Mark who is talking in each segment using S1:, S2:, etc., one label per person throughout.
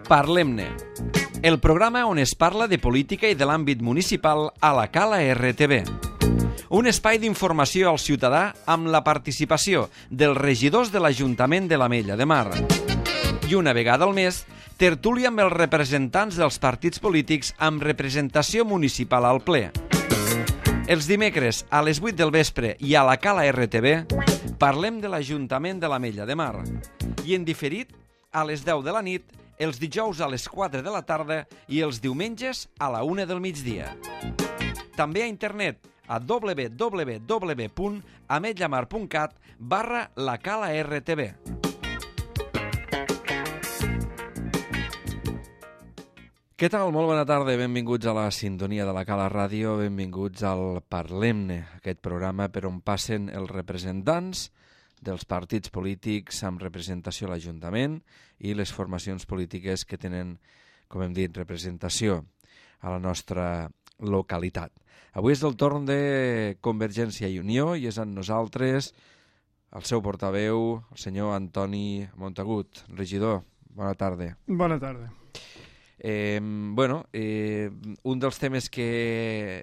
S1: Parlem-ne, el programa on es parla de política i de l'àmbit municipal a la Cala RTV. Un espai d'informació al ciutadà amb la participació dels regidors de l'Ajuntament de l'Ametlla de Mar. I una vegada al mes, tertúlia amb els representants dels partits polítics amb representació municipal al ple. Els dimecres a les 8 del vespre i a la Cala RTV parlem de l'Ajuntament de l'Ametlla de Mar. I en diferit a les 10 de la nit, els dijous a les 4 de la tarda i els diumenges a la 1 del migdia. També a internet a www.ametllamar.cat/lacala-rtv. Què tal? Molt bona tarda, benvinguts a la sintonia de la Cala Ràdio, benvinguts al Parlem-ne, aquest programa per on passen els representants dels partits polítics amb representació a l'Ajuntament i les formacions polítiques que tenen, com hem dit, representació a la nostra localitat. Avui és el torn de Convergència i Unió i és amb nosaltres el seu portaveu, el senyor Antoni Montagut. Regidor, bona tarda.
S2: Bona tarda.
S1: Un dels temes que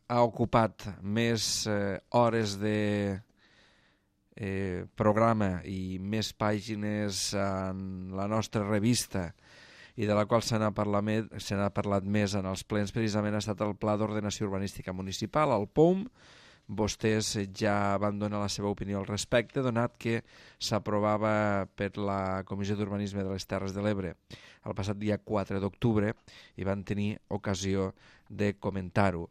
S1: ha ocupat més hores de programa i més pàgines en la nostra revista i de la qual se n'ha parlat més en els plens precisament ha estat el Pla d'Ordenació Urbanística Municipal, el POUM. Vostès ja van donar la seva opinió al respecte, donat que s'aprovava per la Comissió d'Urbanisme de les Terres de l'Ebre el passat dia 4 d'octubre i van tenir ocasió de comentar-ho.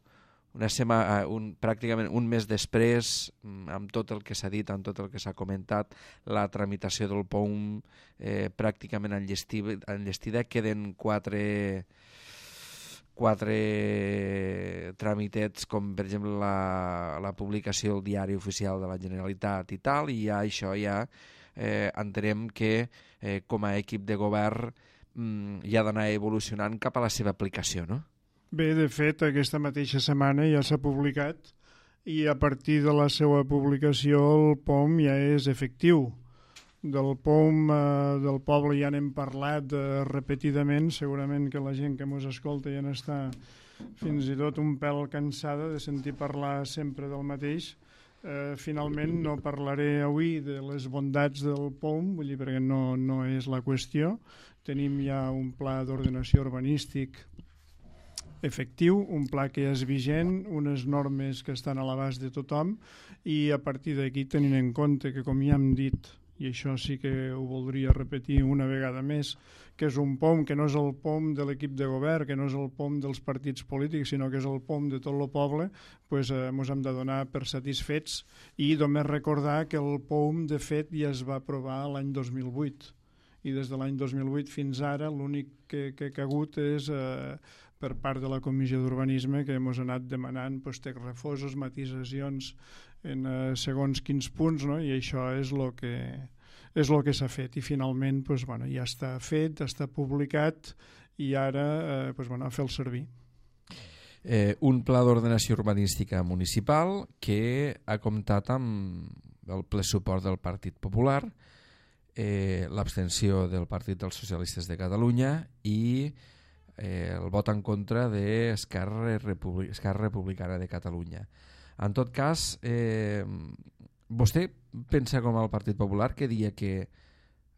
S1: Pràcticament un mes després, amb tot el que s'ha dit, amb tot el que s'ha comentat, la tramitació del POUM pràcticament enllestida. Queden quatre tràmitets, com per exemple la publicació al Diari Oficial de la Generalitat i tal, i ja això entenem que com a equip de govern ja ha d'anar evolucionant cap a la seva aplicació, no?
S2: Bé, de fet, aquesta mateixa setmana ja s'ha publicat i a partir de la seva publicació el POUM ja és efectiu. Del POUM del poble ja n'hem parlat repetidament, segurament que la gent que ens escolta ja n'està fins i tot un pèl cansada de sentir parlar sempre del mateix. Finalment no parlaré avui de les bondats del POUM, vull dir, perquè no és la qüestió. Tenim ja un pla d'ordenació urbanístic efectiu, un pla que ja és vigent, unes normes que estan a l'abast de tothom i a partir d'aquí, tenint en compte que, com ja hem dit, i això sí que ho voldria repetir una vegada més, que és un POUM que no és el POUM de l'equip de govern, que no és el POUM dels partits polítics, sinó que és el POUM de tot el poble, doncs ens hem de donar per satisfets i només recordar que el POUM, de fet, ja es va aprovar l'any 2008 i des de l'any 2008 fins ara l'únic que ha hagut és per part de la Comissió d'Urbanisme que ens ha anat demanant text refosos, matisacions en segons quins punts, no? I això és el que s'ha fet i finalment ja està fet, està publicat i ara a fer-lo servir.
S1: Un pla d'ordenació urbanística municipal que ha comptat amb el ple suport del Partit Popular, l'abstenció del Partit dels Socialistes de Catalunya i el vot en contra d'Esquerra Republicana de Catalunya. En tot cas, vostè pensa com el Partit Popular que dia que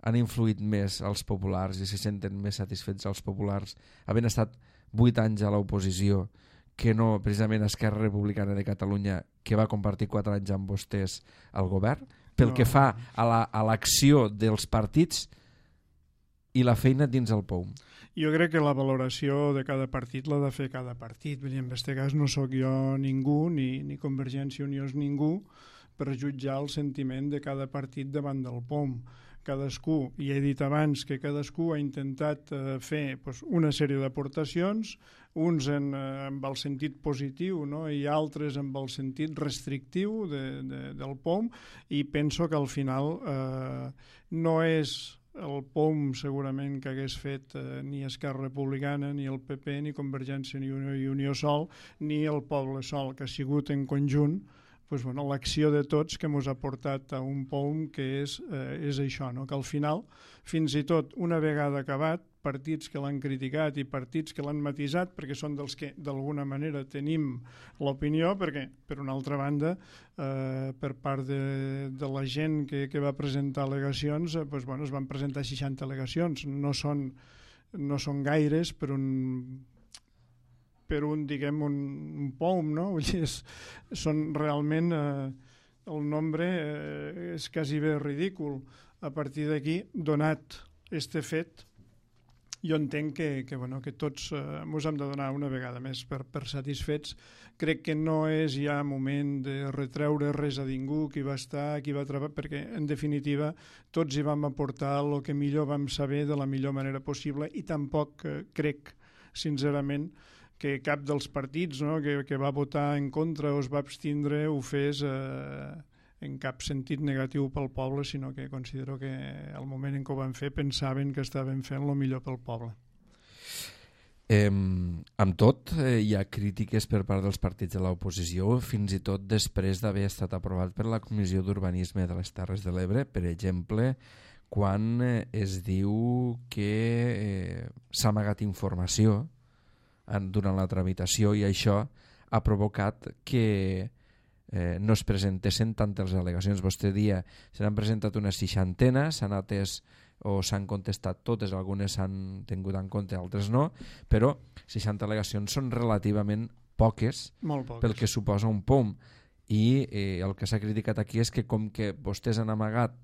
S1: han influït més els populars i se senten més satisfets els populars havent estat 8 anys a l'oposició que no precisament Esquerra Republicana de Catalunya, que va compartir 4 anys amb vostès al govern, pel que fa a l'acció dels partits i la feina dins el POUM?
S2: Jo crec que la valoració de cada partit l'ha de fer cada partit. Vull dir, en aquest cas no sóc jo ningú, ni Convergència i Unió és ningú, per jutjar el sentiment de cada partit davant del POUM. Cadascú, i he dit abans que cadascú ha intentat fer una sèrie d'aportacions, uns amb el sentit positiu, no? I altres amb el sentit restrictiu del POUM, i penso que al final no és el POUM segurament que hagués fet ni Esquerra Republicana, ni el PP, ni Convergència i Unió sol, ni el poble sol, que ha sigut en conjunt l'acció de tots que ens ha portat a un POUM que és això, no? Que al final, fins i tot una vegada acabat, partits que l'han criticat i partits que l'han matisat, perquè són dels que d'alguna manera tenim l'opinió, perquè per una altra banda per part de la gent que va presentar al·legacions, es van presentar 60 al·legacions, no són gaires per un diguem, un POUM, no? Vull dir, són realment el nombre és quasi bé ridícul. A partir d'aquí, donat este fet, jo entenc que tots ens hem de donar una vegada més per satisfets. Crec que no és ja moment de retreure res a ningú, qui va estar, qui va treballar, perquè en definitiva tots hi vam aportar el que millor vam saber de la millor manera possible, i tampoc crec, sincerament, que cap dels partits, no, que va votar en contra o es va abstindre ho fes en cap sentit negatiu pel poble, sinó que considero que al moment en què ho van fer pensaven que estaven fent el millor pel poble.
S3: Amb tot, hi ha crítiques per part dels partits de l'oposició, fins i tot després d'haver estat aprovat per la Comissió d'Urbanisme de les Terres de l'Ebre, per exemple, quan es diu que s'ha amagat informació durant la tramitació, i això ha provocat que no es presentessin tantes al·legacions. Vostè dia se n'han presentat unes 60, s'han atès o s'han contestat totes, algunes s'han tingut en compte, altres no, però 60 al·legacions són relativament poques, pel que suposa un POUM. I el que s'ha criticat aquí és que com que vostès han amagat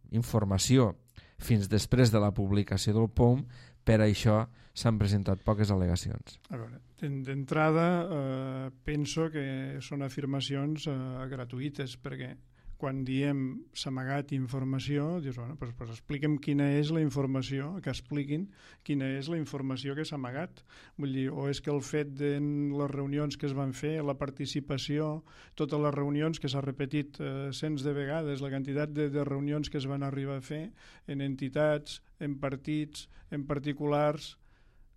S3: informació fins després de la publicació del POUM, per això s'han presentat poques al·legacions.
S2: A veure, d'entrada penso que són afirmacions gratuïtes, perquè quan diem s'ha amagat informació, dius, pues expliquem quina és la informació, que expliquin quina és la informació que s'ha amagat. Vull dir, o és que el fet de les reunions que es van fer, la participació, totes les reunions que s'ha repetit cents de vegades, la quantitat de reunions que es van arribar a fer en entitats, en partits, en particulars,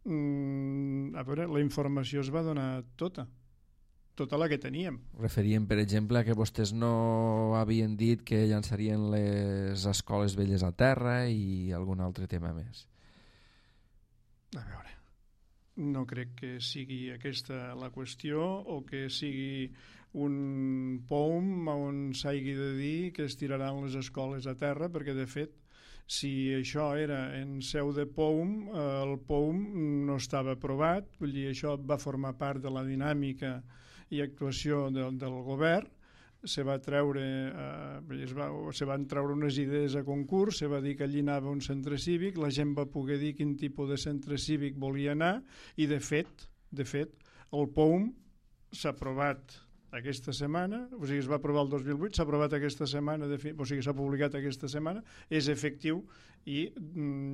S2: a veure, la informació es va donar tota la que teníem.
S3: Referíem, per exemple, que vostès no havien dit que llançarien les escoles velles a terra i algun altre tema més.
S2: A veure, no crec que sigui aquesta la qüestió, o que sigui un POUM on s'hagi de dir que es tiraran les escoles a terra, perquè de fet, si això era en seu de POUM, el POUM no estava aprovat, vull dir, això va formar part de la dinàmica i actuació del govern. Se van treure unes idees a concurs, se va dir que allí anava un centre cívic, la gent va poder dir quin tipus de centre cívic volia anar, i de fet el POUM s'ha aprovat aquesta setmana, o sigui, es va aprovar el 2008, s'ha aprovat aquesta setmana, o sigui, s'ha publicat aquesta setmana, és efectiu, i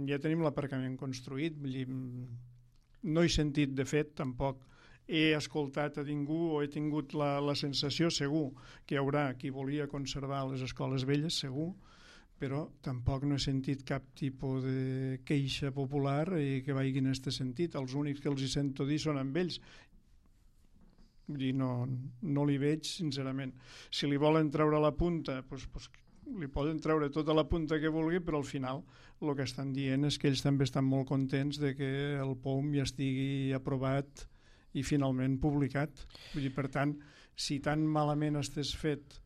S2: ja tenim l'aparcament construït. Vull dir, no he sentit, de fet, tampoc he escoltat a ningú, o he tingut la sensació, segur, que hi haurà qui volia conservar les escoles velles, segur, però tampoc no he sentit cap tipus de queixa popular que vagi en aquest sentit. Els únics que els hi sento dir són amb ells. Vull dir, no li veig, sincerament. Si li volen treure la punta, doncs li poden treure tota la punta que vulgui, però al final el que estan dient és que ells també estan molt contents de que el POUM ja estigui aprovat i finalment publicat. Vull dir, per tant, si tan malament estès fet,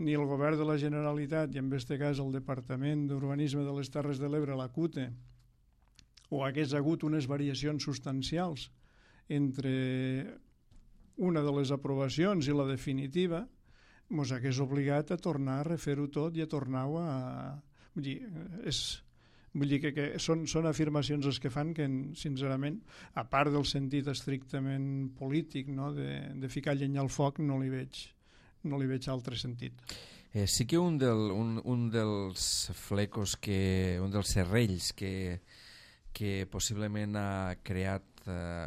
S2: ni el govern de la Generalitat, i en aquest cas el Departament d'Urbanisme de les Terres de l'Ebre, la CUTE, o hagués hagut unes variacions substancials entre una de les aprovacions i la definitiva, ens hagués obligat a tornar a refer-ho tot i a tornar-ho a... Vull dir que són afirmacions les que fan que, sincerament, a part del sentit estrictament polític, no, de ficar llenya al foc, no li veig altre sentit.
S3: Sí que un dels flecos, un dels serrells que possiblement ha creat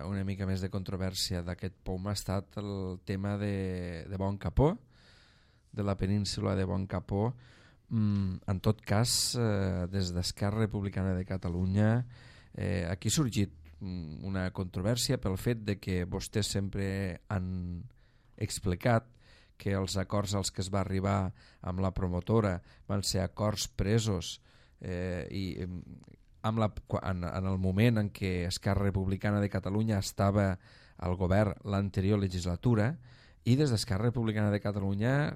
S3: una mica més de controvèrsia d'aquest POUM ha estat el tema de Bon Capó, de la península de Bon Capó. En tot cas, des d'Esquerra Republicana de Catalunya, aquí ha sorgit una controvèrsia pel fet de que vostès sempre han explicat que els acords als que es va arribar amb la promotora van ser acords presos i en el moment en què Esquerra Republicana de Catalunya estava al govern l'anterior legislatura, i des d'Esquerra Republicana de Catalunya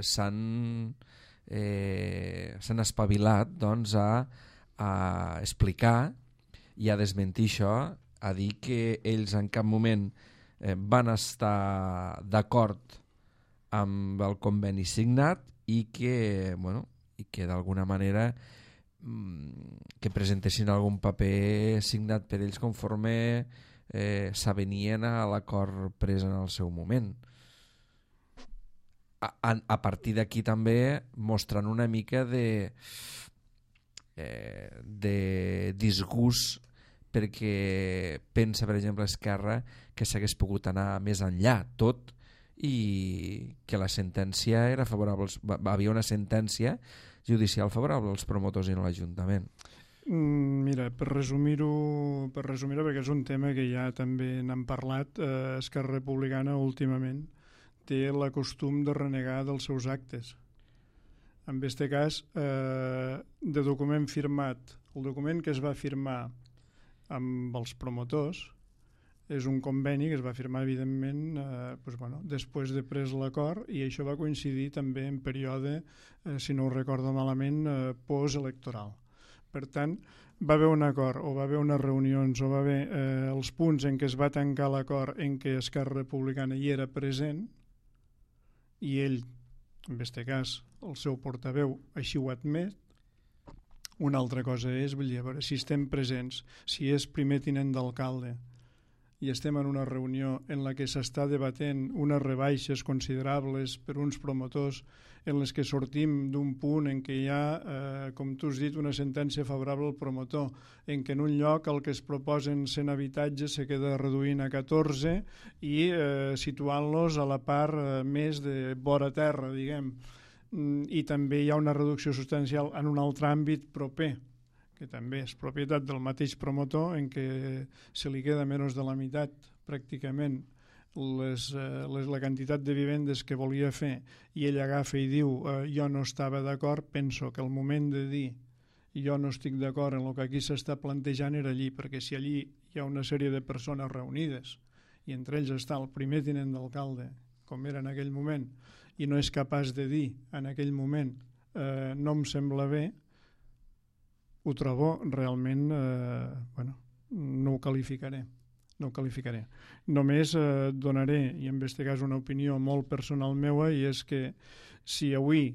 S3: s'han espavilat doncs, a explicar i a desmentir això, a dir que ells en cap moment van estar d'acord amb el conveni signat i que d'alguna manera que presentessin algun paper signat per ells conforme s'avenien a l'acord pres en el seu moment. A partir d'aquí també mostrant una mica de disgust perquè pensa, per exemple, Esquerra que s'hagués pogut anar més enllà tot i que la sentència era favorable, havia una sentència judicial favorable als promotors i no a l'Ajuntament.
S2: Mira, per resumir-ho, perquè és un tema que ja també n'han parlat, Esquerra Republicana últimament té el costum de renegar dels seus actes. En aquest cas, de document firmat, el document que es va firmar amb els promotors és un conveni que es va firmar, evidentment, després de pres l'acord, i això va coincidir també en període, si no ho recordo malament, postelectoral. Per tant, va haver un acord, o va haver unes reunions, o va haver els punts en què es va tancar l'acord en què Esquerra Republicana hi era present, i ell, en aquest cas, el seu portaveu, així ho ha admet. Una altra cosa és, vull dir, a veure, si estem presents, si és primer tinent d'alcalde i estem en una reunió en la que s'està debatent unes rebaixes considerables per uns promotors, en les que sortim d'un punt en què hi ha, com tu has dit, una sentència favorable al promotor, en què en un lloc el que es proposen 100 habitatges se queda reduint a 14 i situant-los a la part més de vora terra, diguem. I també hi ha una reducció substancial en un altre àmbit proper, que també és propietat del mateix promotor, en què se li queda menys de la meitat, pràcticament, la quantitat de vivendes que volia fer, i ell agafa i diu jo no estava d'acord. Penso que el moment de dir jo no estic d'acord en el que aquí s'està plantejant era allí, perquè si allí hi ha una sèrie de persones reunides, i entre ells està el primer tinent d'alcalde, com era en aquell moment, i no és capaç de dir en aquell moment no em sembla bé, ho trobo realment, no ho qualificaré. Només donaré, i en aquest cas una opinió molt personal meua, i és que si avui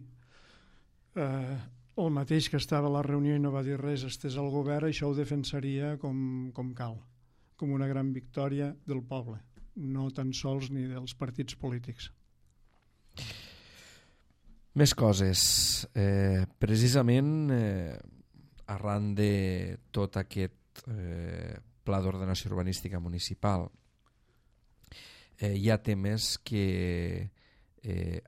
S2: el mateix que estava a la reunió i no va dir res estès al govern, això ho defensaria com cal, com una gran victòria del poble, no tan sols ni dels partits polítics.
S3: Més coses. Precisament arran de tot aquest pla d'ordenació urbanística municipal hi ha temes que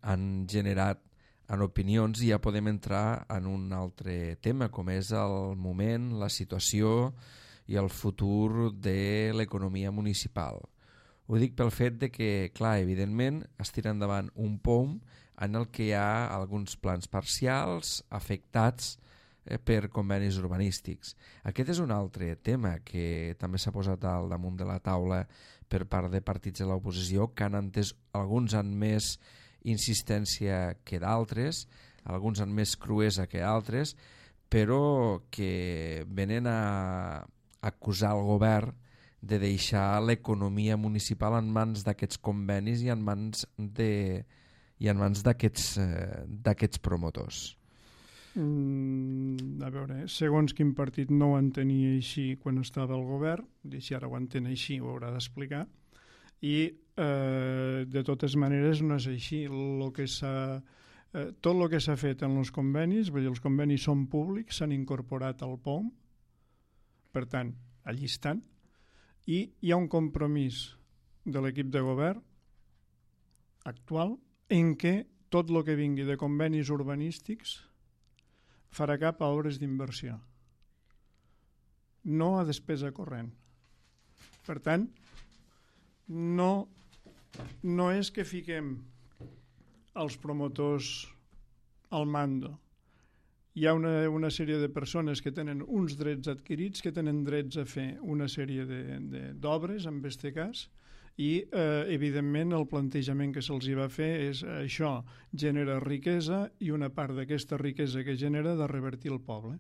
S3: han generat en opinions, i ja podem entrar en un altre tema, com és el moment, la situació i el futur de l'economia municipal. Ho dic pel fet de que, clar, evidentment es tira endavant un POM en el que hi ha alguns plans parcials afectats per convenis urbanístics. Aquest és un altre tema que també s'ha posat al damunt de la taula per part de partits de l'oposició, que han entès, alguns amb més insistència que d'altres, alguns amb més cruesa que altres, però que venen a acusar el govern de deixar l'economia municipal en mans d'aquests convenis i en mans d'aquests promotors.
S2: A veure, segons quin partit no ho entenia així quan estava al govern, i si ara ho entén així ho haurà d'explicar, i de totes maneres no és així. Tot el que s'ha fet en els convenis, vull dir, els convenis són públics, s'han incorporat al POM, per tant, allí estan, i hi ha un compromís de l'equip de govern actual en què tot el que vingui de convenis urbanístics farà cap a obres d'inversió, no a despesa corrent. Per tant, no és que fiquem els promotors al mando hi ha una sèrie de persones que tenen uns drets adquirits, que tenen drets a fer una sèrie d'obres, en aquest cas, i evidentment el plantejament que se'ls va fer és això genera riquesa i una part d'aquesta riquesa que genera de revertir el poble.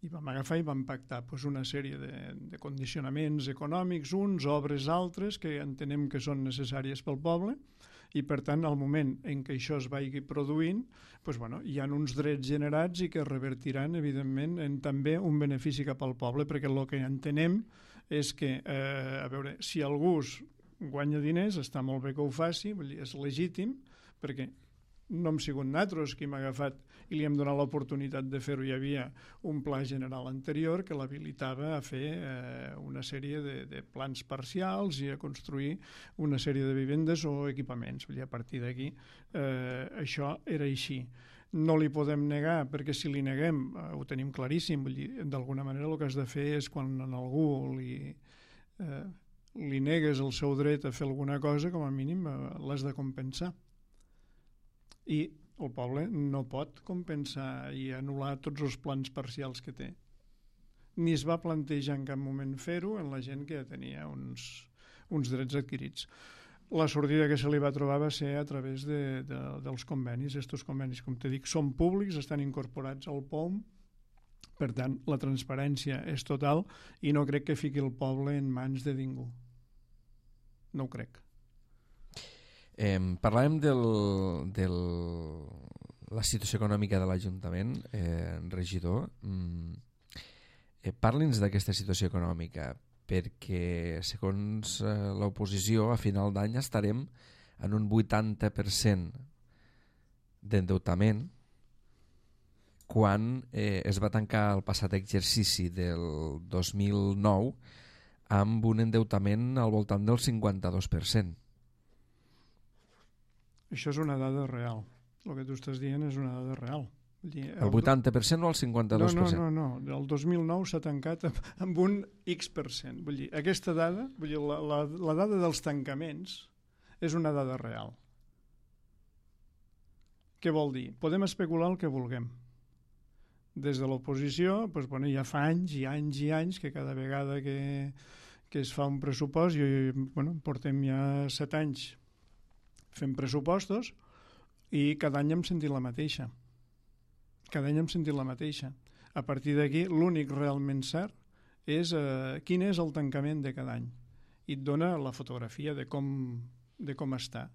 S2: I vam agafar i vam pactar una sèrie de condicionaments econòmics, uns, obres altres, que entenem que són necessàries pel poble, i per tant al moment en què això es vagi produint hi ha uns drets generats i que revertiran evidentment en també un benefici cap al poble, perquè el que entenem és que a veure, si algú guanya diners està molt bé que ho faci, és legítim, perquè no hem sigut nosaltres qui hem agafat i li hem donat l'oportunitat de fer-ho. Hi havia un pla general anterior que l'habilitava a fer una sèrie de plans parcials i a construir una sèrie de vivendes o equipaments. A partir d'aquí això era així. No li podem negar, perquè si li neguem ho tenim claríssim, d'alguna manera el que has de fer és quan a algú li negues el seu dret a fer alguna cosa, com a mínim l'has de compensar. I el poble no pot compensar i anul·lar tots els plans parcials que té. Ni es va plantejar en cap moment fer-ho en la gent que ja tenia uns drets adquirits. La sortida que se li va trobar va ser a través dels convenis. Estos convenis, com te dic, són públics, estan incorporats al POM, per tant, la transparència és total i no crec que fiqui el poble en mans de ningú. No ho crec.
S3: Parlàvem de la situació econòmica de l'Ajuntament, regidor. Parli'ns d'aquesta situació econòmica, perquè segons l'oposició a final d'any estarem en un 80% d'endeutament quan es va tancar el passat exercici del 2009 amb un endeutament al voltant del 52%.
S2: Això és una dada real. El que tu estàs dient és una dada real.
S3: El 80% o el 52%?
S2: No. El 2009 s'ha tancat amb un X%. Vull dir, aquesta dada, la dada dels tancaments és una dada real. Què vol dir? Podem especular el que vulguem. Des de l'oposició, ja fa anys i anys i anys que cada vegada que es fa un pressupost, portem ja 7 anys fem pressupostos i cada any hem sentit la mateixa. A partir d'aquí, l'únic realment cert és quin és el tancament de cada any. I et dona la fotografia de com està.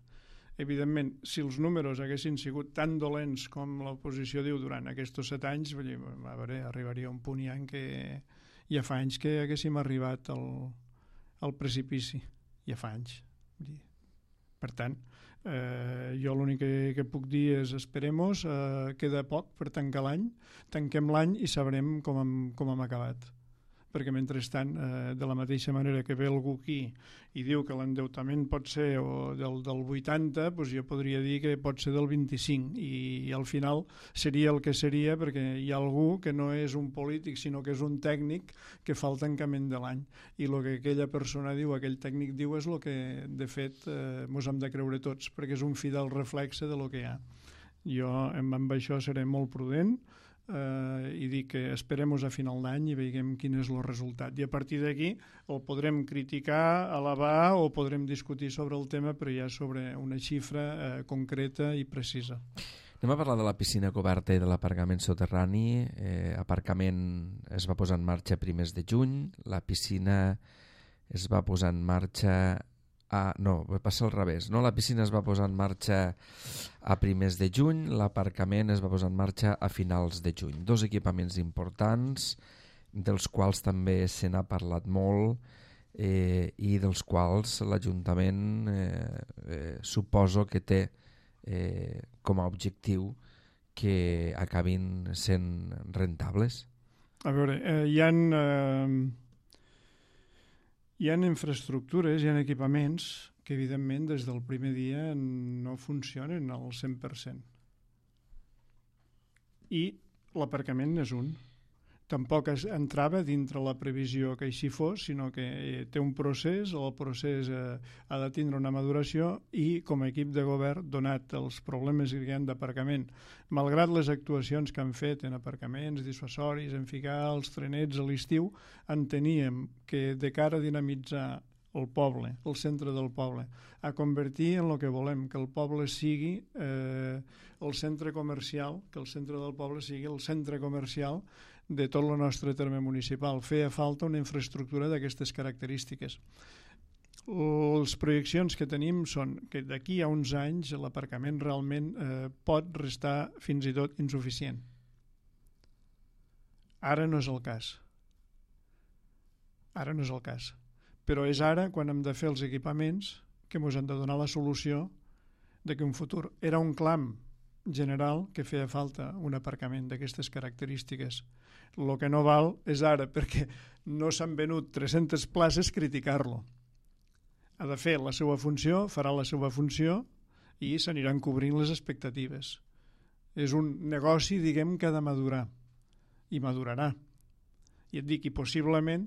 S2: Evidentment, si els números haguessin sigut tan dolents com l'oposició diu durant aquests 7 anys, arribaria a un punt ja en què ja fa anys que haguéssim arribat al precipici. Ja fa anys. Per tant, jo l'únic que puc dir és esperemos, queda poc per tancar l'any, tanquem l'any i sabrem com hem acabat. Perquè mentrestant, de la mateixa manera que ve algú aquí i diu que l'endeutament pot ser del 80, jo podria dir que pot ser del 25 i al final seria el que seria, perquè hi ha algú que no és un polític sinó que és un tècnic que fa el tancament de l'any i el que aquella persona diu, aquell tècnic diu és el que de fet ens hem de creure tots, perquè és un fidel reflexe de lo que hi ha. Jo amb això seré molt prudent i dic que esperem a final d'any i veiem quin és el resultat i a partir d'aquí el podrem criticar, alabar o podrem discutir sobre el tema, però ja sobre una xifra concreta i precisa.
S3: Anem a parlar de la piscina coberta i de l'aparcament soterrani. Aparcament es va posar en marxa a primers de juny, la piscina es va posar en marxa va passar al revés, no? La piscina es va posar en marxa a primers de juny, l'aparcament es va posar en marxa a finals de juny. 2 equipaments importants, dels quals també se n'ha parlat molt i dels quals l'Ajuntament suposo que té com a objectiu que acabin sent rentables.
S2: A veure, hi ha infraestructures, hi ha equipaments que evidentment des del primer dia no funcionen al 100%. I l'aparcament és un. tampoc entrava dintre la previsió que així fos, sinó que té un procés, el procés ha de tindre una maduració i com a equip de govern, donat els problemes que hi ha d'aparcament, malgrat les actuacions que han fet en aparcaments dissuasoris, en ficar els trenets a l'estiu, enteníem que de cara a dinamitzar el poble, el centre del poble, a convertir en el que volem, que el poble sigui el centre comercial, que el centre del poble sigui el centre comercial de tot el nostre terme municipal. Feia falta una infraestructura d'aquestes característiques. Les projeccions que tenim són que d'aquí a uns anys l'aparcament realment pot restar fins i tot insuficient. Ara no és el cas. Ara no és el cas. Però és ara quan hem de fer els equipaments que ens han de donar la solució de que un futur era un clam general que feia falta un aparcament d'aquestes característiques. El que no val és ara, perquè no s'han venut 300 places, criticar-lo. Ha de fer la seva funció, farà la seva funció i s'aniran cobrint les expectatives. És un negoci, diguem, que ha de madurar i madurarà. I et dic, i possiblement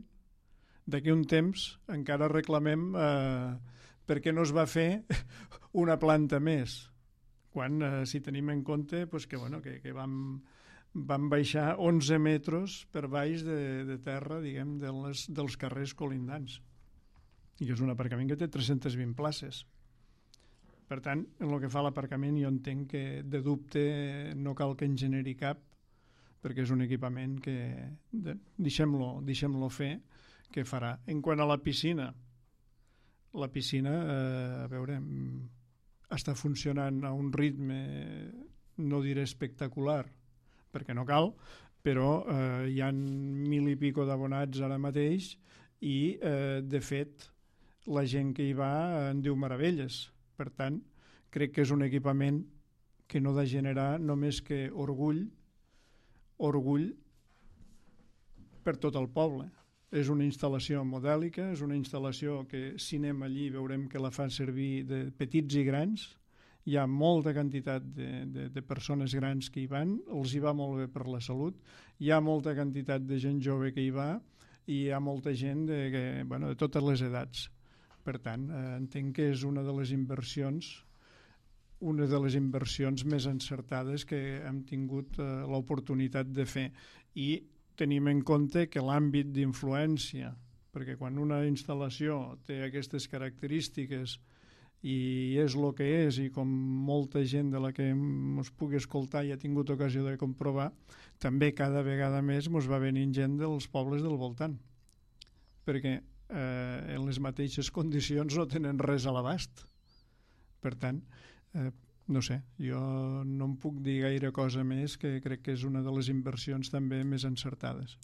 S2: d'aquí un temps encara reclamem per què no es va fer una planta més, quan si tenim en compte que vam baixar 11 metres per baix de terra, diguem, dels carrers colindants. I és un aparcament que té 320 places. Per tant, en el que fa l'aparcament jo entenc que de dubte no cal que en generi cap, perquè és un equipament que deixem-lo fer, que farà. En quant a la piscina, a veure, està funcionant a un ritme, no diré espectacular, perquè no cal, però hi ha 1.000 i pico d'abonats ara mateix i, de fet, la gent que hi va en diu meravelles. Per tant, crec que és un equipament que no ha de generar només que orgull per tot el poble. És una instal·lació modèlica, és una instal·lació que si anem allí veurem que la fan servir de petits i grans. Hi ha molta quantitat de persones grans que hi van, els hi va molt bé per la salut, hi ha molta quantitat de gent jove que hi va i hi ha molta gent de totes les edats. Per tant, entenc que és una de les inversions més encertades que hem tingut l'oportunitat de fer. I tenim en compte que l'àmbit d'influència, perquè quan una instal·lació té aquestes característiques i és el que és, i com molta gent de la que ens pugui escoltar i ha tingut ocasió de comprovar, també cada vegada més ens va venint gent dels pobles del voltant, perquè en les mateixes condicions no tenen res a l'abast. Per tant, no sé, jo no em puc dir gaire cosa més, que crec que és una de les inversions també més encertades.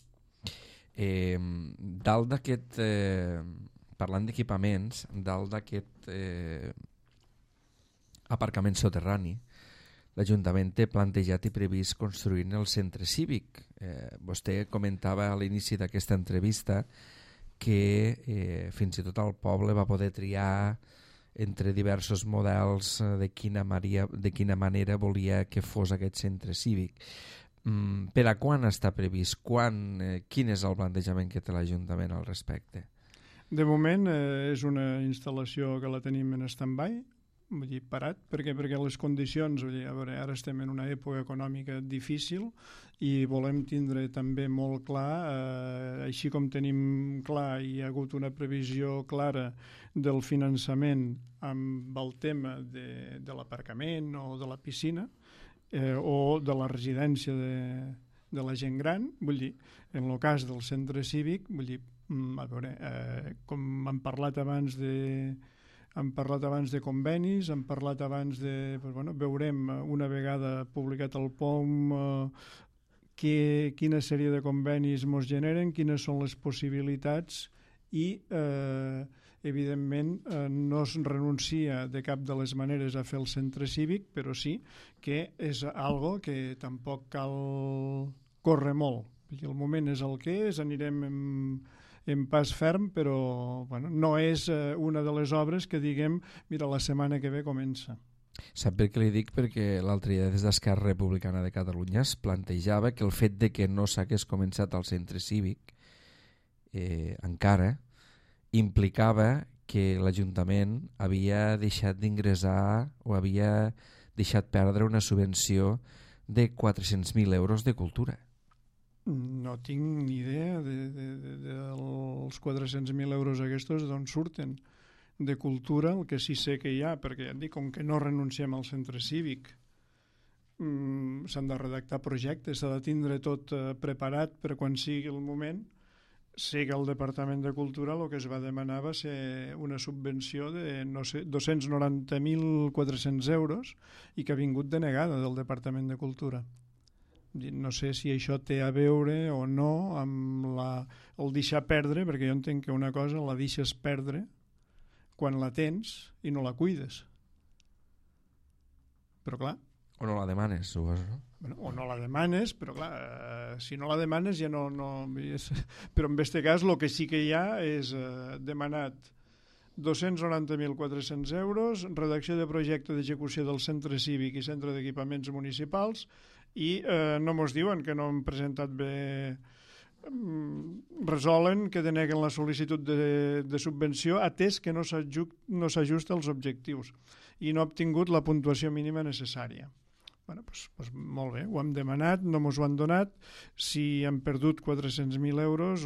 S3: Dalt d'aquest, parlant d'equipaments, dalt d'aquest aparcament soterrani, l'Ajuntament té plantejat i previst construir el centre cívic. Vostè comentava a l'inici d'aquesta entrevista que fins i tot el poble va poder triar entre diversos models de quina manera volia que fos aquest centre cívic. Per a quan està previst? Quin és el plantejament que té l'Ajuntament al respecte?
S2: De moment és una instal·lació que la tenim en stand-by, vull dir, parat, perquè les condicions, a veure, ara estem en una època econòmica difícil i volem tindre també molt clar, així com tenim clar i hi ha hagut una previsió clara del finançament amb el tema de l'aparcament o de la piscina o de la residència de la gent gran, vull dir, en el cas del centre cívic, vull dir, a veure, com hem parlat abans de convenis, hem parlat abans de... veurem una vegada publicat el POM quina sèrie de convenis ens generen, quines són les possibilitats i, evidentment, no es renuncia de cap de les maneres a fer el centre cívic, però sí que és algo que tampoc cal córrer molt. El moment és el que és, anirem en pas ferm, però no és una de les obres que diguem, mira, la setmana que ve comença.
S3: Sap per què li dic? Perquè l'altre dia des d'Esquerra Republicana de Catalunya es plantejava que el fet de que no s'hagués començat al centre cívic encara implicava que l'Ajuntament havia deixat d'ingressar o havia deixat perdre una subvenció de 400.000 euros de cultura.
S2: No tinc ni idea dels 400.000 euros aquests d'on surten. De cultura, el que sí sé que hi ha, perquè ja et dic, com que no renunciem al centre cívic, s'han de redactar projectes, s'ha de tindre tot preparat per quan sigui el moment. Sé que el Departament de Cultura el que es va demanar va ser una subvenció de, no sé, 290.400 euros i que ha vingut denegada del Departament de Cultura. No sé si això té a veure o no amb el deixar perdre, perquè jo entenc que una cosa la deixes perdre quan la tens i no la cuides. Però clar...
S3: O no la demanes, suposo, no?
S2: Bueno, o no la demanes, però clar, si no la demanes ja no... Però en aquest cas el que sí que hi ha és demanat 290.400 euros, redacció de projecte d'execució del centre cívic i centre d'equipaments municipals i no mos diuen que no hem presentat bé... resolen que deneguen la sol·licitud de subvenció atès que no s'ajusta als objectius i no ha obtingut la puntuació mínima necessària. Bueno, pues molt bé, ho hem demanat, no mos ho han donat. Si hem perdut 400.000 euros,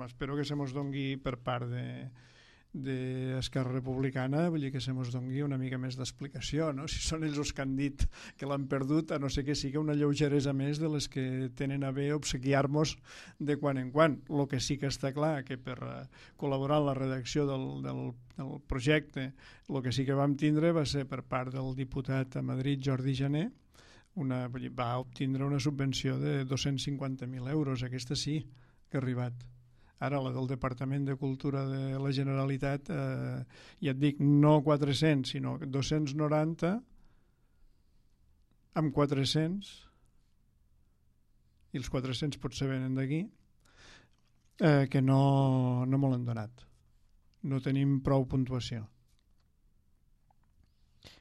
S2: espero que se mos dongui per part d'Esquerra Republicana, vull dir que se mos dongui una mica més d'explicació, no? Si són ells els que han dit que l'han perdut, a no ser que sigui una lleugeresa més de les que tenen a bé obsequiar-nos de quan en quan. El que sí que està clar que per col·laborar en la redacció del projecte, el que sí que vam tindre va ser per part del diputat a Madrid, Jordi Jané, va obtindre una subvenció de 250.000 euros, aquesta sí que ha arribat. Ara la del Departament de Cultura de la Generalitat, ja et dic, no 400, sinó 290 amb 400, i els 400 potser venen d'aquí, que no me l'han donat. No tenim prou puntuació.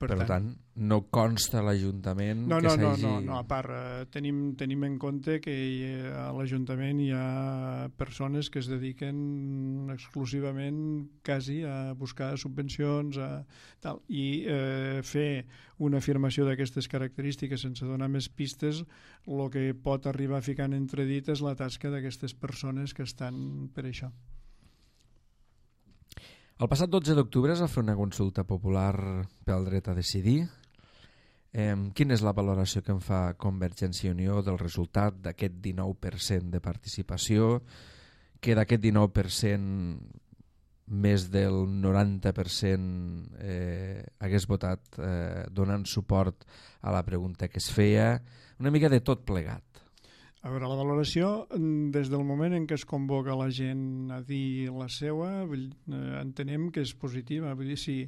S3: Per tant, no consta l'Ajuntament
S2: no,
S3: que s'hagi...
S2: No, a part, tenim en compte que a l'Ajuntament hi ha persones que es dediquen exclusivament quasi a buscar subvencions i fer una afirmació d'aquestes característiques sense donar més pistes, el que pot arribar a ficar en entredit és la tasca d'aquestes persones que estan per això.
S3: El passat 12 d'octubre es va fer una consulta popular pel dret a decidir. Quina és la valoració que en fa Convergència i Unió del resultat d'aquest 19% de participació, que d'aquest 19% més del 90% hagués votat donant suport a la pregunta que es feia, una mica de tot plegat?
S2: A veure, la valoració, des del moment en què es convoca la gent a dir la seua, entenem que és positiva. Vull dir, si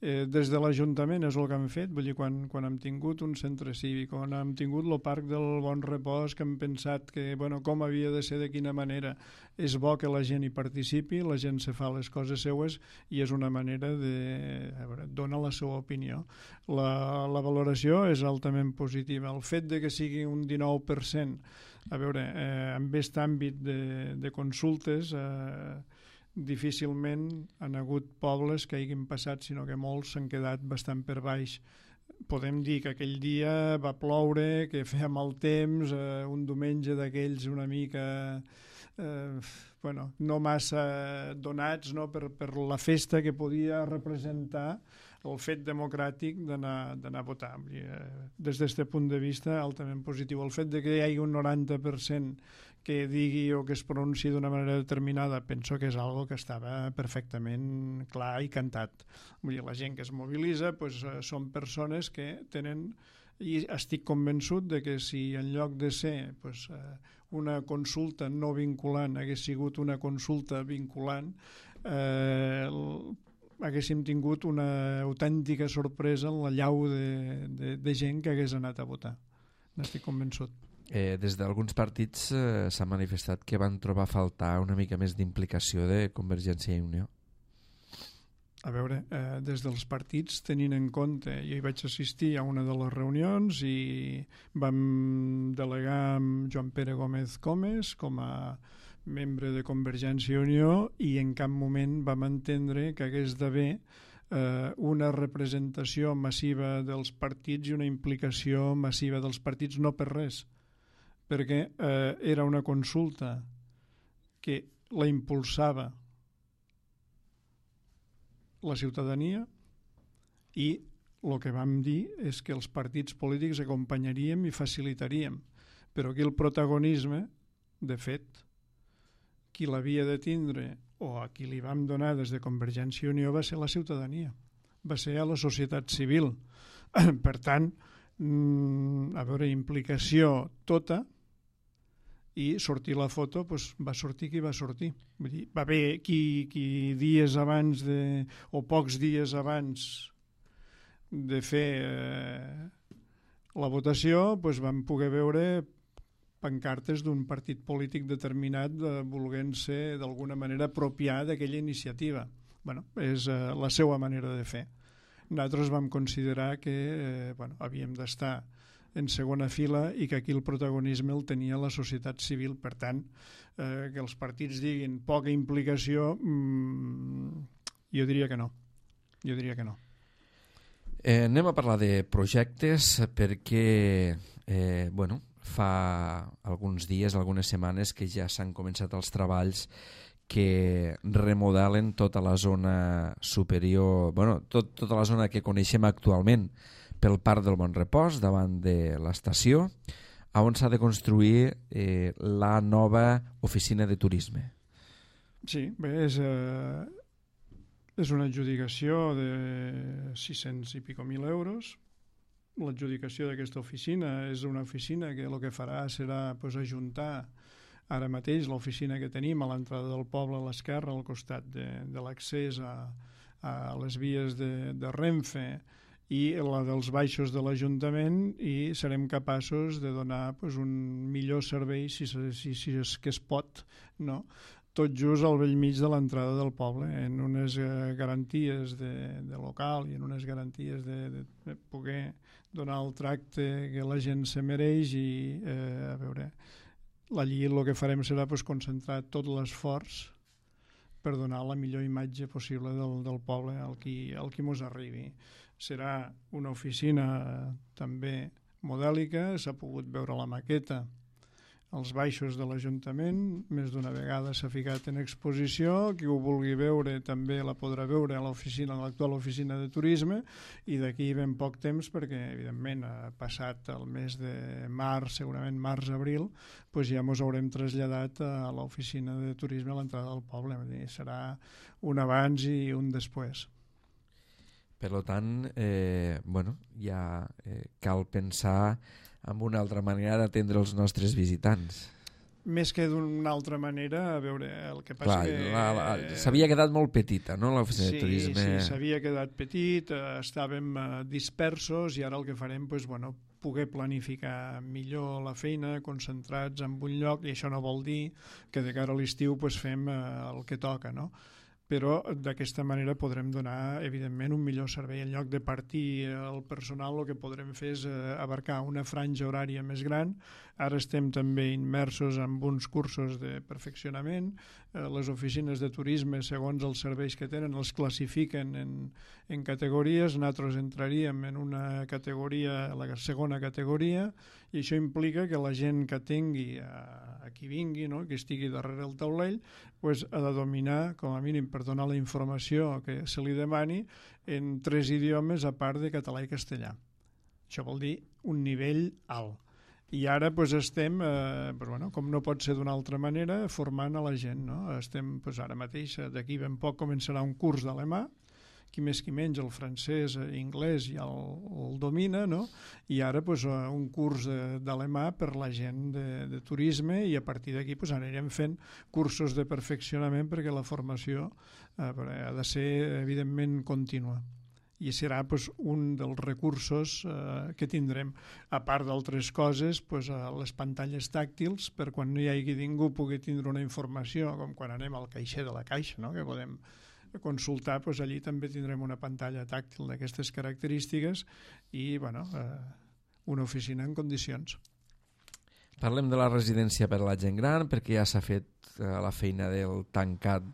S2: des de l'Ajuntament és el que hem fet, vull dir, quan hem tingut un centre cívic, quan hem tingut el Parc del Bon Repòs, que hem pensat que, bueno, com havia de ser, de quina manera, és bo que la gent hi participi, la gent se fa les coses seues i és una manera de donar la seva opinió. La valoració és altament positiva. El fet de que sigui un 19%, a veure, en aquest àmbit de consultes, difícilment han hagut pobles que hagin passat, sinó que molts s'han quedat bastant per baix. Podem dir que aquell dia va ploure, que feia mal temps, un diumenge d'aquells una mica no massa donats, no, per la festa que podia representar el fet democràtic d'anar a votar. Des d'aquest punt de vista, altament positiu. El fet de que hi hagi un 90% que digui o que es pronunciï d'una manera determinada, penso que és algo que estava perfectament clar i cantat. Vull dir, la gent que es mobilitza són persones que tenen, i estic convençut de que si en lloc de ser una consulta no vinculant hagués sigut una consulta vinculant, haguéssim tingut una autèntica sorpresa en la llau de gent que hagués anat a votar. N'estic convençut.
S3: Des d'alguns partits s'ha manifestat que van trobar a faltar una mica més d'implicació de Convergència i Unió.
S2: a veure, des dels partits, tenint en compte, jo hi vaig assistir a una de les reunions i vam delegar amb Joan Pere Gómez Comes com a membre de Convergència i Unió i en cap moment vam entendre que hagués d'haver una representació massiva dels partits i una implicació massiva dels partits, no per res, perquè era una consulta que la impulsava la ciutadania i el que vam dir és que els partits polítics acompanyaríem i facilitaríem, però aquí el protagonisme, de fet, qui l'havia de tindre o a qui li vam donar des de Convergència i Unió va ser la ciutadania, va ser a la societat civil. Per tant, a veure, implicació tota, i sortir la foto, doncs va sortir qui va sortir. Vull dir, va haver qui dies abans o pocs dies abans de fer la votació doncs vam poder veure pancartes d'un partit polític determinat volent-se d'alguna manera apropiar d'aquella iniciativa. Bueno, és la seva manera de fer. Nosaltres vam considerar que havíem d'estar en segona fila i que aquí el protagonisme el tenia la societat civil. Per tant, que els partits diguin poca implicació, jo diria que no.
S3: Anem a parlar de projectes perquè fa alguns dies, algunes setmanes que ja s'han començat els treballs que remodelen tota la zona superior, tota la zona que coneixem actualment pel Parc del Bon Repòs, davant de l'estació, on s'ha de construir la nova oficina de turisme.
S2: Sí, bé, és una adjudicació de 600 i pico mil euros. L'adjudicació d'aquesta oficina és una oficina que el que farà serà ajuntar ara mateix l'oficina que tenim a l'entrada del poble a l'esquerra, al costat de l'accés a les vies de Renfe i la dels baixos de l'Ajuntament, i serem capaços de donar un millor servei, si és que es pot, no? Tot just al bell mig de l'entrada del poble, en unes garanties de local i en unes garanties de poder donar el tracte que la gent se mereix. I a veure, allí el que farem serà concentrar tot l'esforç per donar la millor imatge possible del poble al qui mos arribi. Serà una oficina també modèlica, s'ha pogut veure la maqueta als baixos de l'Ajuntament, més d'una vegada s'ha ficat en exposició, qui ho vulgui veure també la podrà veure a l'actual oficina de turisme, i d'aquí ben poc temps, perquè evidentment passat el mes de març, segurament març-abril, ja ens haurem traslladat a l'oficina de turisme a l'entrada del poble. Serà un abans i un després.
S3: Per tant, ja cal pensar en una altra manera d'atendre els nostres visitants.
S2: Més que d'una altra manera, a veure, el que passa que...
S3: S'havia quedat molt petita, no?, l'oficina de turisme.
S2: Sí, s'havia quedat petit, estàvem dispersos, i ara el que farem, poder planificar millor la feina, concentrats en un lloc, i això no vol dir que de cara a l'estiu fem el que toca, no? Però d'aquesta manera podrem donar, evidentment, un millor servei. En lloc de partir el personal, el que podrem fer és abarcar una franja horària més gran. Ara estem també immersos en uns cursos de perfeccionament. Les oficines de turisme, segons els serveis que tenen, els classifiquen en categories. Nosaltres entraríem en una categoria, la segona categoria, i això implica que la gent que tingui, a qui vingui, no?, que estigui darrere el taulell, ha de dominar, com a mínim, per donar la informació que se li demani en 3 idiomes a part de català i castellà. Això vol dir un nivell alt. I ara estem, com no pot ser d'una altra manera, formant a la gent, no? Estem ara mateix, d'aquí ben poc començarà un curs d'alemà, qui més qui menys el francès, anglès ja el domina, no? I ara un curs d'alemà per la gent de turisme, i a partir d'aquí anirem fent cursos de perfeccionament perquè la formació ha de ser evidentment contínua. I serà un dels recursos que tindrem, a part d'altres coses, les pantalles tàctils, per quan no hi hagi ningú pugui tindre una informació, com quan anem al caixer de la caixa, no?, que podem consultar, doncs allí també tindrem una pantalla tàctil d'aquestes característiques i una oficina en condicions.
S3: Parlem de la residència per a la gent gran, perquè ja s'ha fet la feina del tancat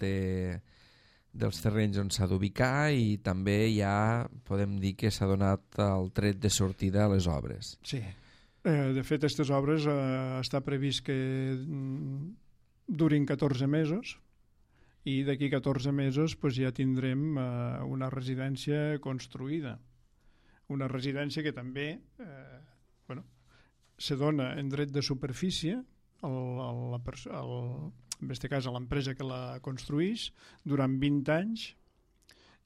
S3: dels terrenys on s'ha d'ubicar i també ja podem dir que s'ha donat el tret de sortida a les obres.
S2: Sí, de fet aquestes obres està previst que durin 14 mesos i d'aquí 14 mesos doncs, ja tindrem una residència construïda. Una residència que també se dona en dret de superfície en aquest cas a l'empresa que la construïx durant 20 anys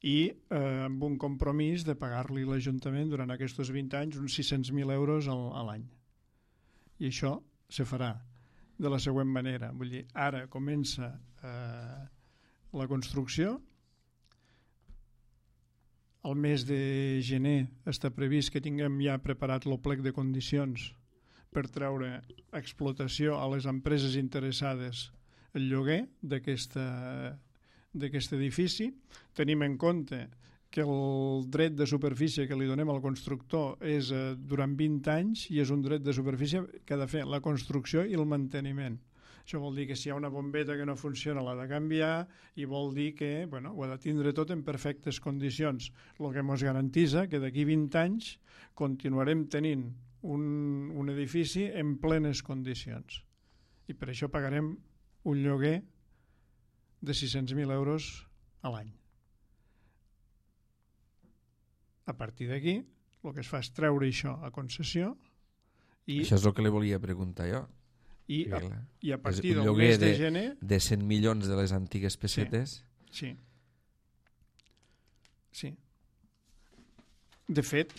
S2: i amb un compromís de pagar-li l'Ajuntament durant aquests 20 anys uns 600.000 euros a l'any. I això se farà de la següent manera. Vull dir, ara comença la construcció. Al mes de gener està previst que tinguem ja preparat el plec de condicions per treure a explotació a les empreses interessades el lloguer d'aquest edifici. Tenim en compte que el dret de superfície que li donem al constructor és durant 20 anys i és un dret de superfície que ha de fer la construcció i el manteniment. Això vol dir que si hi ha una bombeta que no funciona l'ha de canviar i vol dir que ho ha de tindre tot en perfectes condicions. El que ens garantitza que d'aquí 20 anys continuarem tenint un edifici en plenes condicions. I per això pagarem un lloguer de 600.000 euros a l'any. A partir d'aquí, el que es fa és treure això a concessió.
S3: Això és el que li volia preguntar jo.
S2: I a partir del mes de gener...
S3: de 100 milions de les antigues pessetes.
S2: Sí. De fet,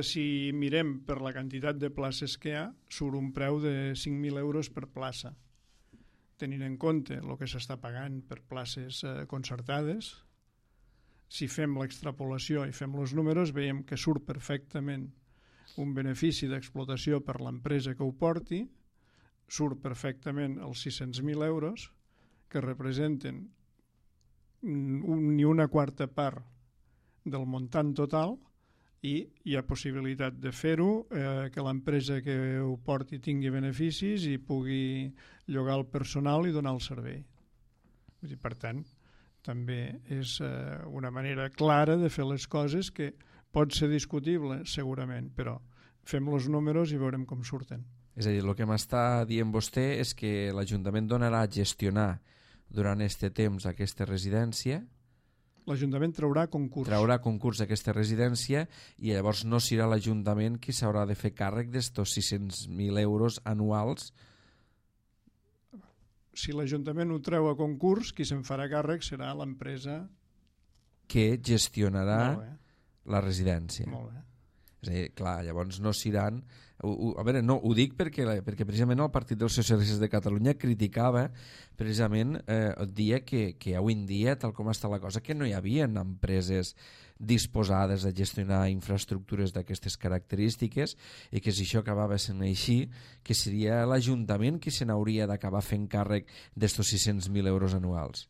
S2: si mirem per la quantitat de places que hi ha, surt un preu de 5.000 euros per plaça. Tenint en compte el que s'està pagant per places concertades, si fem l'extrapolació i fem els números, veiem que surt perfectament un benefici d'explotació per l'empresa que ho porti, surt perfectament els 600.000 euros, que representen ni una quarta part del muntant total, i hi ha possibilitat de fer-ho, que l'empresa que ho porti tingui beneficis i pugui llogar el personal i donar el servei. Per tant, també és una manera clara de fer les coses que pot ser discutible, segurament, però fem els números i veurem com surten.
S3: És a dir, el que m'està dient vostè és que l'Ajuntament donarà a gestionar durant aquest temps aquesta residència.
S2: L'Ajuntament traurà concurs
S3: d'aquesta residència i llavors no serà l'Ajuntament qui s'haurà de fer càrrec d'estos 600.000 euros anuals.
S2: Si l'Ajuntament ho treu a concurs, qui se'n farà càrrec serà l'empresa
S3: que gestionarà la residència.
S2: Molt bé.
S3: És a dir, clar, llavors no seran... A veure, no, ho dic perquè precisament el Partit dels Socialistes de Catalunya criticava precisament el dia que avui en dia, tal com està la cosa, que no hi havia empreses disposades a gestionar infraestructures d'aquestes característiques i que si això acabava sent així, que seria l'Ajuntament qui se n'hauria d'acabar fent càrrec d'estos 600.000 euros anuals.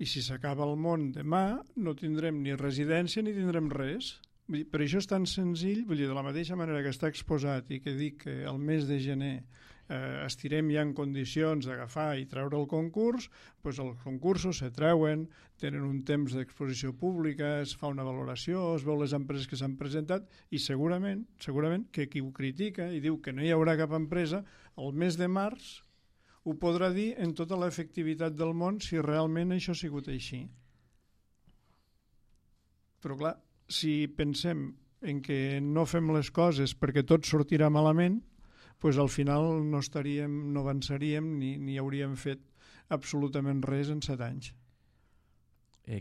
S2: I si s'acaba el món demà, no tindrem ni residència ni tindrem res. Per això és tan senzill, vull dir, de la mateixa manera que està exposat i que dic que el mes de gener estirem ja en condicions d'agafar i treure el concurs, doncs els concursos se treuen, tenen un temps d'exposició pública, es fa una valoració, es veu les empreses que s'han presentat i segurament que qui ho critica i diu que no hi haurà cap empresa, el mes de març ho podrà dir en tota l'efectivitat del món si realment això ha sigut així. Però clar, si pensem en que no fem les coses perquè tot sortirà malament, doncs al final no avançaríem ni hauríem fet absolutament res en 7 anys.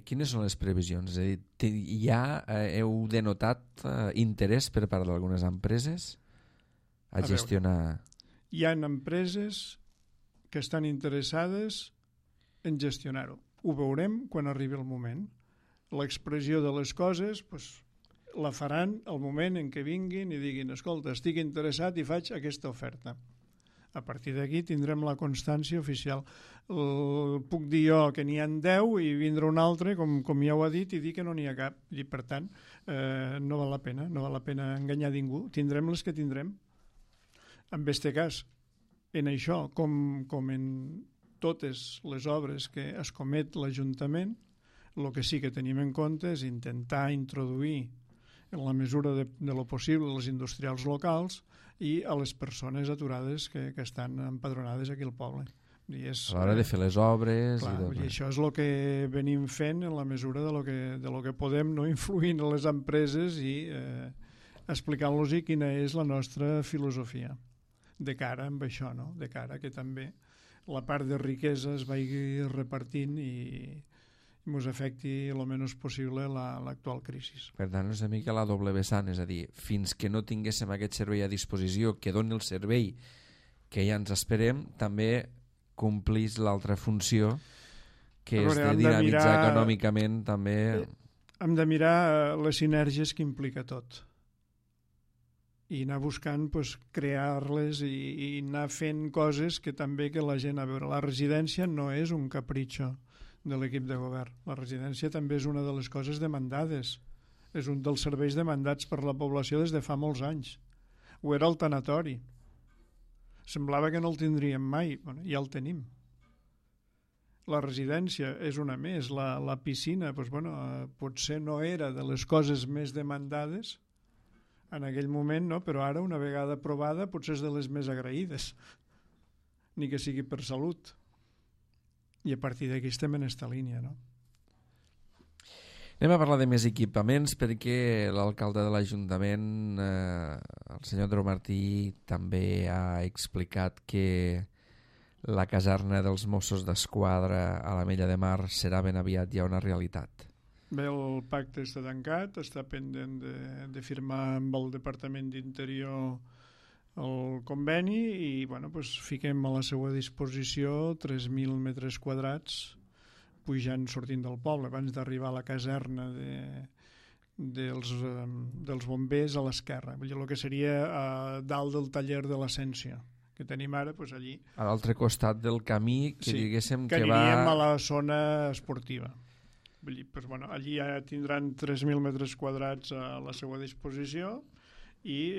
S3: Quines són les previsions? És a dir, ja heu denotat interès per part d'algunes empreses a gestionar...
S2: Hi ha empreses que estan interessades en gestionar-ho. Ho veurem quan arribi el moment. L'expressió de les coses la faran al moment en què vinguin i diguin escolta, estic interessat i faig aquesta oferta. A partir d'aquí tindrem la constància oficial. Puc dir jo que n'hi ha 10 i vindrà un altre, com ja ho ha dit, i dir que no n'hi ha cap. I, per tant, no val la pena enganyar ningú. Tindrem les que tindrem. En aquest cas, en això, com en totes les obres que es comet l'Ajuntament, el que sí que tenim en compte és intentar introduir en la mesura de lo possible els industrials locals i a les persones aturades que estan empadronades aquí al poble.
S3: A l'hora de fer les obres...
S2: Clar, i això és el que venim fent en la mesura de lo que podem, no influint en les empreses i explicant-los quina és la nostra filosofia de cara amb això, no? De cara que també la part de riquesa es vagi repartint i ens afecti el menys possible l'actual crisi.
S3: Per tant, és una mica la doble vessant, és a dir, fins que no tinguéssim aquest servei a disposició que doni el servei que ja ens esperem, també complís l'altra funció, que és de dinamitzar econòmicament també...
S2: Hem de mirar les sinergies que implica tot i anar buscant crear-les i anar fent coses que també que la gent a veure. La residència no és un capritxo de l'equip de govern. La residència també és una de les coses demandades. És un dels serveis demandats per la població des de fa molts anys. Ho era el tanatori. Semblava que no el tindríem mai. Bueno, ja el tenim. La residència és una més. La piscina, potser no era de les coses més demandades en aquell moment, no? Però ara, una vegada aprovada, potser és de les més agraïdes. Ni que sigui per salut. I a partir d'aquí estem en aquesta línia, no?
S3: Anem a parlar de més equipaments perquè l'alcalde de l'Ajuntament, el senyor Andreu Martí, també ha explicat que la caserna dels Mossos d'Esquadra a l'Ametlla de Mar serà ben aviat ja una realitat.
S2: Bé, el pacte està tancat, està pendent de firmar amb el Departament d'Interior el conveni i fiquem a la seva disposició 3.000 metres quadrats pujant, sortint del poble, abans d'arribar a la caserna dels bombers a l'esquerra, el que seria dalt del taller de l'Essència que tenim ara, allí.
S3: A l'altre costat del camí que diguéssim que
S2: aniríem a la zona esportiva. Allí ja tindran 3.000 metres quadrats a la seva disposició i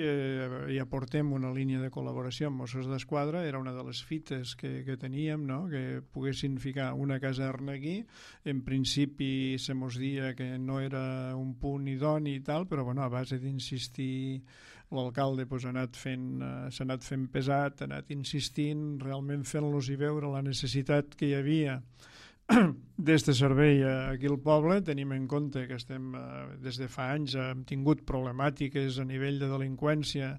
S2: ja portem una línia de col·laboració amb Mossos d'Esquadra. Era una de les fites que teníem, no? Que poguessin ficar una caserna aquí. En principi se mos dia que no era un punt idoni i tal, però a base d'insistir l'alcalde s'ha anat fent pesat, ha anat insistint, realment fent-los i veure la necessitat que hi havia d'este servei aquí al poble. Tenim en compte que estem des de fa anys hem tingut problemàtiques a nivell de delinqüència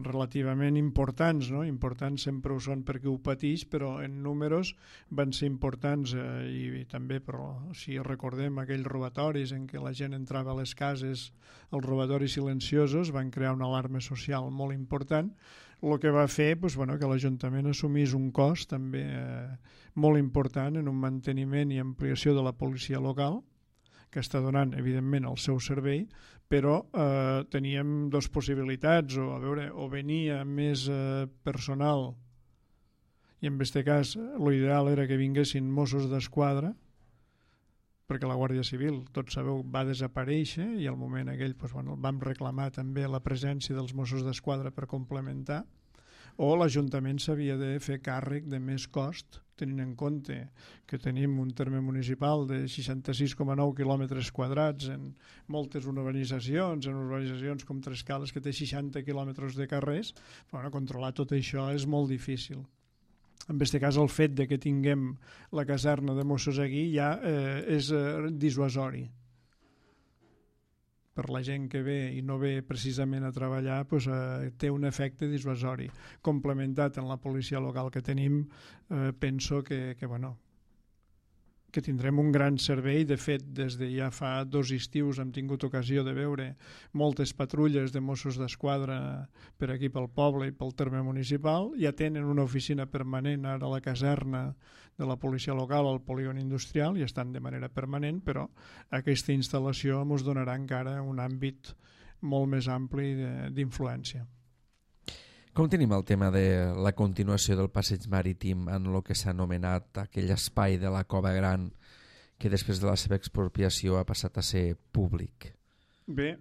S2: relativament importants, no? Importants sempre ho són perquè ho pateix, però en números van ser importants i també, però si recordem aquells robatoris en què la gent entrava a les cases, els robatoris silenciosos van crear una alarma social molt important, el que va fer que l'Ajuntament assumís un cost també molt important en un manteniment i ampliació de la policia local, que està donant, evidentment, el seu servei, però teníem dues possibilitats, o venia més personal, i en aquest cas l'ideal era que vinguessin Mossos d'Esquadra, perquè la Guàrdia Civil, tots sabeu, va desaparèixer i al moment aquell vam reclamar també la presència dels Mossos d'Esquadra per complementar, o l'Ajuntament s'havia de fer càrrec de més cost, tenint en compte que tenim un terme municipal de 66,9 quilòmetres quadrats en moltes urbanitzacions, com Trescales, que té 60 quilòmetres de carrers. Controlar tot això és molt difícil. En aquest cas, el fet de que tinguem la caserna de Mossos aquí ja és dissuasori. Per la gent que ve i no ve precisament a treballar, té un efecte dissuasori. Complementat en la policia local que tenim, penso que tindrem un gran servei. De fet, des de ja fa 2 estius hem tingut ocasió de veure moltes patrulles de Mossos d'Esquadra per aquí pel poble i pel terme municipal. Ja tenen una oficina permanent ara a la caserna de la policia local al polígon industrial i estan de manera permanent, però aquesta instal·lació ens donarà encara un àmbit molt més ampli d'influència.
S3: Com tenim el tema de la continuació del passeig marítim en el que s'ha anomenat aquell espai de la Cova Gran que després de la seva expropiació ha passat a ser públic?
S2: Bé,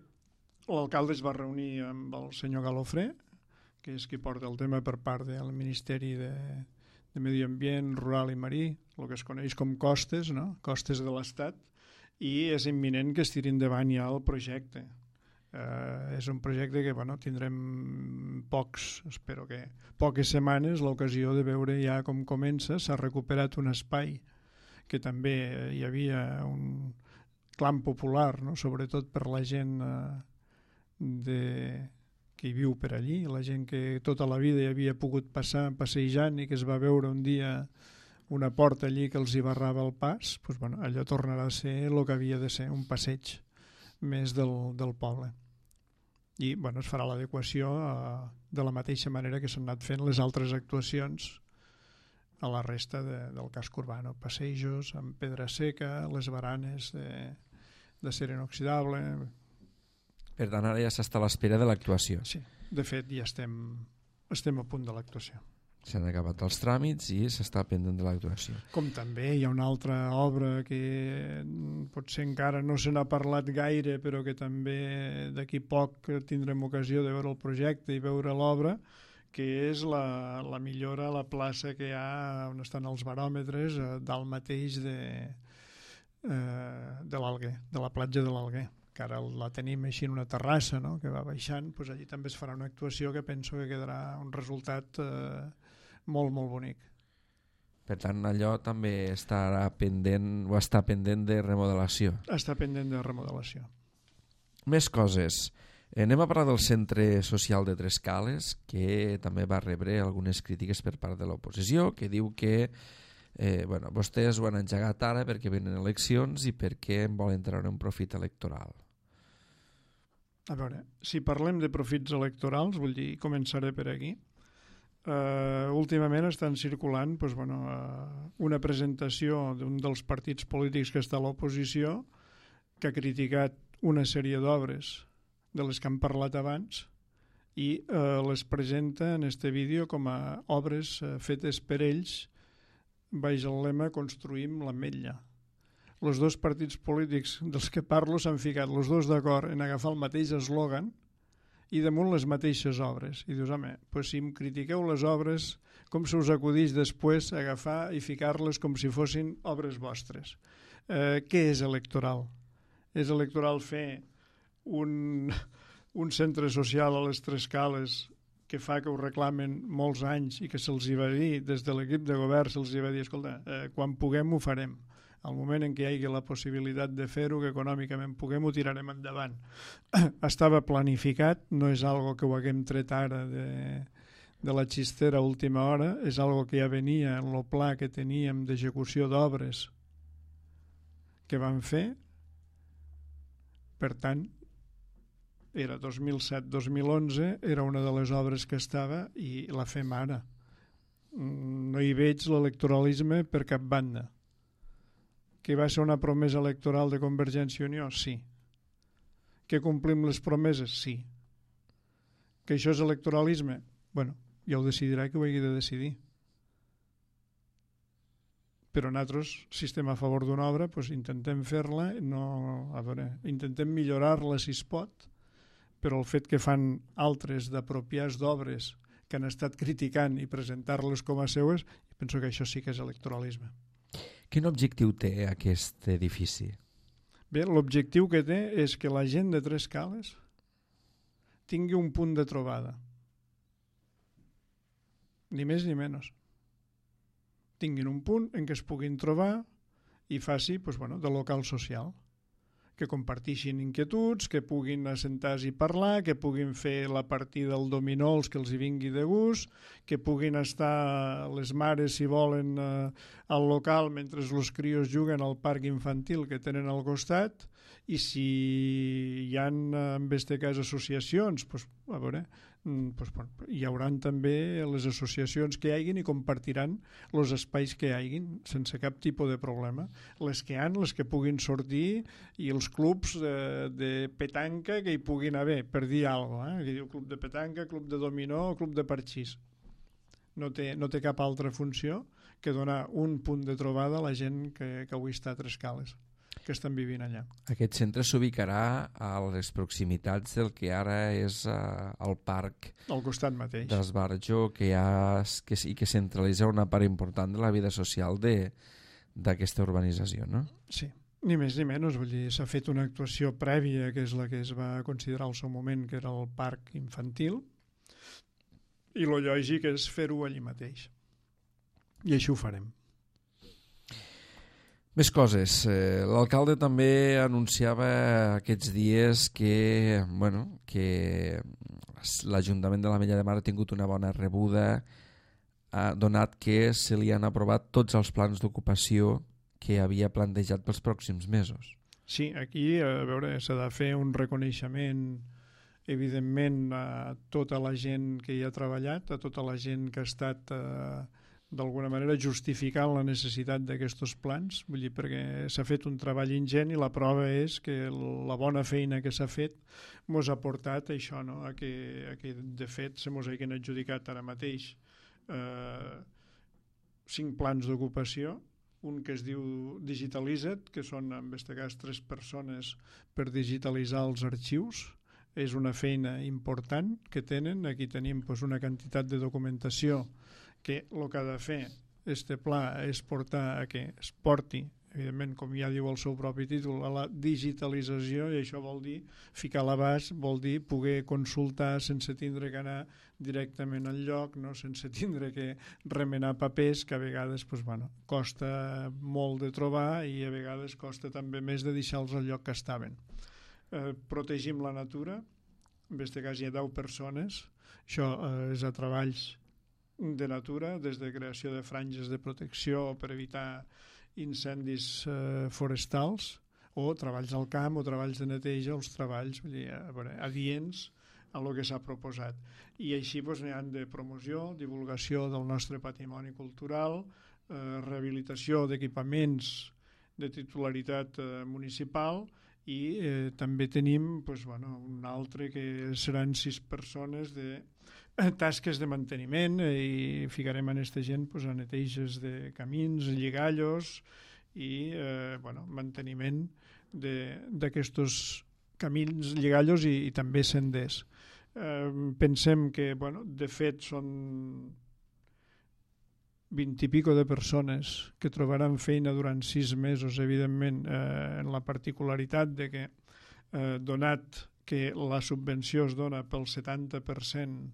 S2: l'alcalde es va reunir amb el senyor Galofré, que és qui porta el tema per part del Ministeri de Medi Ambient, Rural i Marí, el que es coneix com costes, no? Costes de l'Estat, i és imminent que es tiri endavant ja el projecte. És un projecte que tindrem espero que poques setmanes l'ocasió de veure ja com comença. S'ha recuperat un espai que també hi havia un clam popular, no? Sobretot per la gent que hi viu per allí, la gent que tota la vida hi havia pogut passar passejant i que es va veure un dia una porta allí que els hi barrava el pas, allò tornarà a ser el que havia de ser, un passeig més del poble. I es farà l'adequació de la mateixa manera que s'han anat fent les altres actuacions a la resta del casc urbà, passejos amb pedra seca, les baranes d'acer inoxidable.
S3: Per tant, ara ja s'està a l'espera de l'actuació.
S2: Sí, de fet ja estem a punt de l'actuació.
S3: S'han acabat els tràmits i s'està pendent de l'actuació.
S2: Com també hi ha una altra obra que potser encara no se n'ha parlat gaire, però que també d'aquí poc tindrem ocasió de veure el projecte i veure l'obra, que és la millora a la plaça que hi ha on estan els baròmetres, dalt mateix de l'Alguer, de la platja de l'Alguer, que ara la tenim així en una terrassa, no?, que va baixant. Allí també es farà una actuació que penso que quedarà un resultat molt, molt bonic.
S3: Per tant, allò també estarà pendent o està pendent de remodelació.
S2: Està pendent de remodelació.
S3: Més coses. Anem a parlar del centre social de Trescales, que també va rebre algunes crítiques per part de l'oposició, que diu que vostès ho han engegat ara perquè venen eleccions i perquè en volen treure un profit electoral.
S2: A veure, si parlem de profits electorals, vull dir, començaré per aquí. Últimament estan circulant una presentació d'un dels partits polítics que està a l'oposició, que ha criticat una sèrie d'obres de les que han parlat abans i les presenta en este vídeo com a obres fetes per ells baix el lema "Construïm l'Ametlla". Els dos partits polítics dels que parlo s'han ficat els dos d'acord en agafar el mateix eslògan i damunt les mateixes obres. I dius, home, si em critiqueu les obres, com se us acudeix després agafar i ficar-les com si fossin obres vostres? Què és electoral? És electoral fer un centre social a les Trescales que fa que ho reclamen molts anys i que se'ls va dir, des de l'equip de govern se'ls va dir, escolta, quan puguem ho farem. Al moment en què hi hagi la possibilitat de fer-ho, que econòmicament puguem, ho tirarem endavant. Estava planificat, no és algo que ho haguem tret ara de la xistera a última hora, és algo que ja venia en el pla que teníem d'execució d'obres que vam fer. Per tant, era 2007-2011, era una de les obres que estava i la fem ara. No hi veig l'electoralisme per cap banda. Que va ser una promesa electoral de Convergència i Unió? Sí. Que complim les promeses? Sí. Que això és electoralisme? Ja ho decidirà qui ho hagi de decidir. Però nosaltres, si estem a favor d'una obra, intentem fer-la, intentem millorar-la si es pot, però el fet que fan altres d'apropiar d'obres que han estat criticant i presentar-les com a seues, penso que això sí que és electoralisme.
S3: Quin objectiu té aquest edifici?
S2: Bé, l'objectiu que té és que la gent de Trescales tingui un punt de trobada. Ni més ni menys. Tinguin un punt en què es puguin trobar i faci de local social. Que compartixin inquietuds, que puguin assentar-se i parlar, que puguin fer la partida del dominó els que els hi vingui de gust, que puguin estar les mares, si volen, al local mentre els crios juguen al parc infantil que tenen al costat, i si hi ha, en aquest cas, associacions, hi haurà també les associacions que hi hagin i compartiran els espais que hi hagin sense cap tipus de problema. Les que puguin sortir, i els clubs de petanca que hi puguin haver, per dir alguna cosa, que diu club de petanca, club de dominó o club de parxís. No té cap altra funció que donar un punt de trobada a la gent que avui està a Trescales, que estan vivint allà.
S3: Aquest centre s'ubicarà a les proximitats del que ara és el parc
S2: al costat mateix
S3: d'Esbarjo, que centralitza una part important de la vida social d'aquesta urbanització, no?
S2: Sí, ni més ni menys. Vull dir, s'ha fet una actuació prèvia, que és la que es va considerar al seu moment, que era el parc infantil, i lo lògic és fer-ho allí mateix. I així ho farem.
S3: Més coses. L'alcalde també anunciava aquests dies que l'Ajuntament de l'Ametlla de Mar ha tingut una bona rebuda, donat que se li han aprovat tots els plans d'ocupació que havia plantejat pels pròxims mesos.
S2: Sí, aquí s'ha de fer un reconeixement, evidentment, a tota la gent que hi ha treballat, a tota la gent que ha estat d'alguna manera justificant la necessitat d'aquests plans, vull dir, perquè s'ha fet un treball ingent i la prova és que la bona feina que s'ha fet mos ha portat això, no? a que de fet se mos hagin adjudicat ara mateix 5 plans d'ocupació, un que es diu Digitalitza't, que són en aquest cas 3 persones per digitalitzar els arxius. És una feina important que tenen. Aquí tenim una quantitat de documentació que el que ha de fer este pla és portar a que es porti, evidentment, com ja diu el seu propi títol, a la digitalització, i això vol dir ficar a l'abast, vol dir poder consultar sense tindre que anar directament al lloc, no? Sense tindre que remenar papers, que a vegades costa molt de trobar i a vegades costa també més de deixar-los al lloc que estaven. Protegim la natura, en aquest cas hi ha 10 persones, això és a treballs de natura, des de creació de franges de protecció per evitar incendis forestals, o treballs al camp o treballs de neteja, els treballs adients a lo que s'ha proposat. I així n'hi ha de promoció, divulgació del nostre patrimoni cultural, rehabilitació d'equipaments de titularitat municipal, i també tenim un altre que seran 6 persones de tasques de manteniment, i ficarem en aquesta gent a neteges de camins, lligallos i manteniment d'aquests camins, lligallos i també senders. Pensem que de fet són 20 i pico de persones que trobaran feina durant 6 mesos, evidentment, en la particularitat de que, donat que la subvenció es dona pel 70%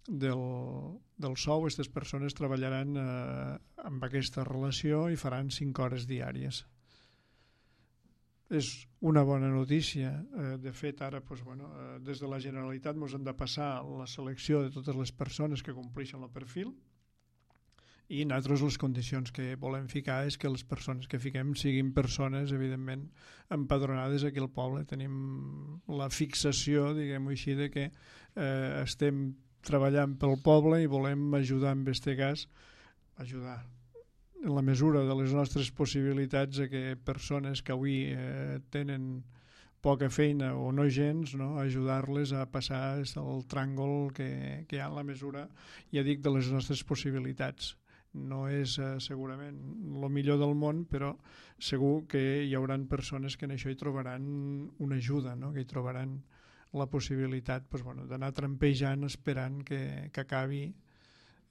S2: del sou, aquestes persones treballaran amb aquesta relació i faran 5 hores diàries. És una bona notícia. De fet, ara des de la Generalitat ens han de passar la selecció de totes les persones que compleixen el perfil, i nosaltres les condicions que volem ficar és que les persones que fiquem siguin persones, evidentment, empadronades aquí al poble. Tenim la fixació, diguem-ho així, de que estem treballant pel poble i volem ajudar, en aquest cas, ajudar en la mesura de les nostres possibilitats a que persones que avui tenen poca feina o no gens, no? Ajudar-les a passar el tràngol que hi ha en la mesura, ja dic, de les nostres possibilitats. No és segurament el millor del món, però segur que hi haurà persones que en això hi trobaran una ajuda, no? Que hi trobaran la possibilitat d'anar trampejant esperant que acabi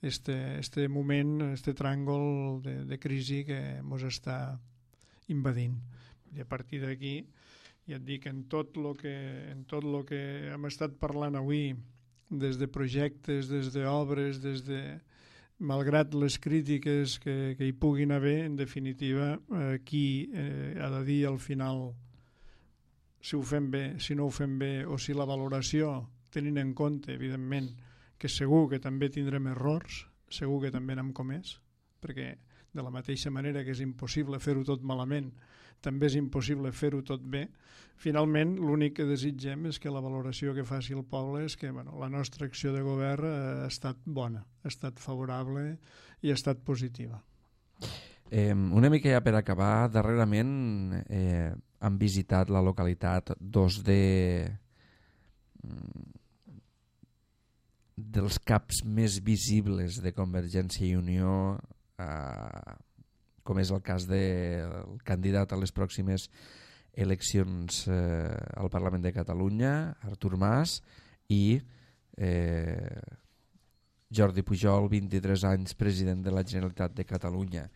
S2: este moment, este tràngol de crisi que ens està invadint. I a partir d'aquí, ja et dic, en tot el que hem estat parlant avui, des de projectes, des d'obres, malgrat les crítiques que hi puguin haver, en definitiva, qui ha de dir al final si ho fem bé, si no ho fem bé, o si la valoració, tenint en compte, evidentment, que segur que també tindrem errors, segur que també n'hem comès, perquè De la mateixa manera que és impossible fer-ho tot malament, també és impossible fer-ho tot bé. Finalment, l'únic que desitgem és que la valoració que faci el poble és que la nostra acció de govern ha estat bona, ha estat favorable i ha estat positiva.
S3: Una mica ja per acabar, darrerament han visitat la localitat dos dels caps més visibles de Convergència i Unió, com és el cas del candidat a les pròximes eleccions al Parlament de Catalunya, Artur Mas, i Jordi Pujol, 23 anys, president de la Generalitat de Catalunya.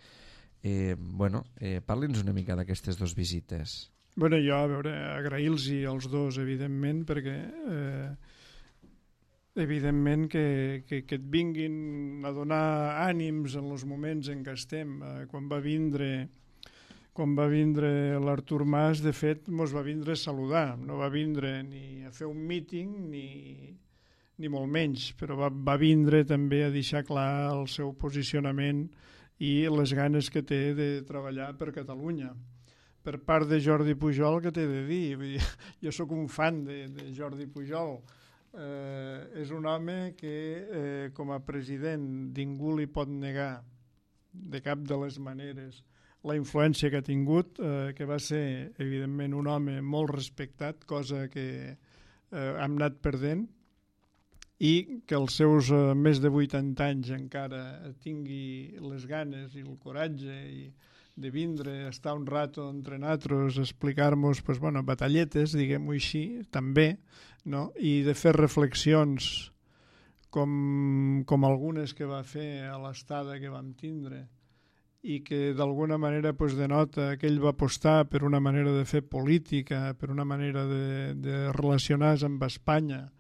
S3: Parli'ns una mica d'aquestes dues visites.
S2: Jo, a veure, agrair-los als dos, evidentment, perquè evidentment que et vinguin a donar ànims en els moments en què estem. Quan va vindre l'Artur Mas, de fet, ens va vindre a saludar, no va vindre ni a fer un míting ni molt menys, però va vindre també a deixar clar el seu posicionament i les ganes que té de treballar per Catalunya. Per part de Jordi Pujol, què t'he de dir? Jo sóc un fan de Jordi Pujol. És un home que com a president ningú li pot negar de cap de les maneres la influència que ha tingut, que va ser evidentment un home molt respectat, cosa que hem anat perdent, i que els seus més de 80 anys encara tingui les ganes i el coratge de vindre, estar un rato entre nosaltres, explicar-nos batalletes, diguem-ho així, també, no? I de fer reflexions com algunes que va fer a l'estada que vam tindre i que d'alguna manera denota que ell va apostar per una manera de fer política, per una manera de relacionar-se amb Espanya,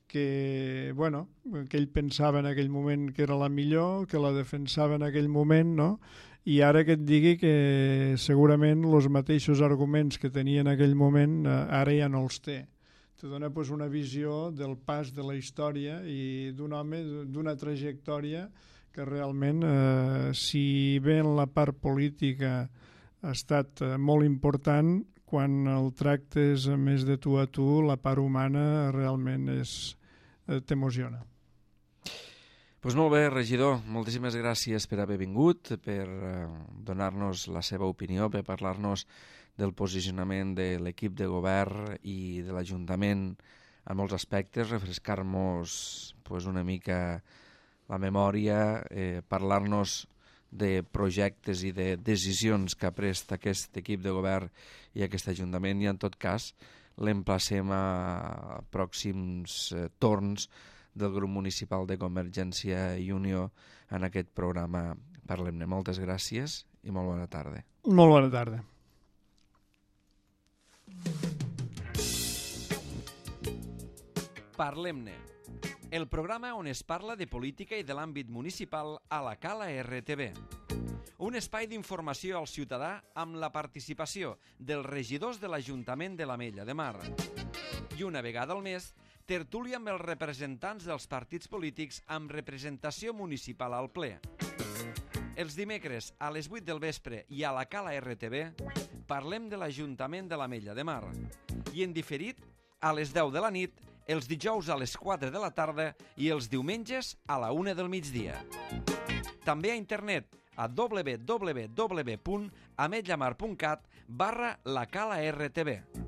S2: que ell pensava en aquell moment que era la millor, que la defensava en aquell moment, no? I ara que et digui que segurament els mateixos arguments que tenia en aquell moment ara ja no els té. Te dona una visió del pas de la història i d'un home d'una trajectòria que realment, si bé en la part política ha estat molt important, quan el tractes més de tu a tu, la part humana realment t'emociona.
S3: Doncs molt bé, regidor, moltíssimes gràcies per haver vingut, per donar-nos la seva opinió, per parlar-nos del posicionament de l'equip de govern i de l'Ajuntament en molts aspectes, refrescar-nos una mica la memòria, parlar-nos de projectes i de decisions que ha pres aquest equip de govern i aquest Ajuntament, i en tot cas l'emplacem a pròxims torns del grup municipal de Convergència i Unió en aquest programa Parlem-ne. Moltes gràcies i molt bona tarda.
S2: Molt bona tarda.
S1: Parlem-ne, el programa on es parla de política i de l'àmbit municipal a la Cala RTV. Un espai d'informació al ciutadà amb la participació dels regidors de l'Ajuntament de l'Ametlla de Mar. I una vegada al mes, tertúlia amb els representants dels partits polítics amb representació municipal al ple. Els dimecres a les 8 del vespre i a la Cala RTV parlem de l'Ajuntament de l'Ametlla de Mar. I en diferit a les 10 de la nit, els dijous a les 4 de la tarda i els diumenges a la 1 del migdia. També a internet a www.ametllamar.cat/la Cala RTV.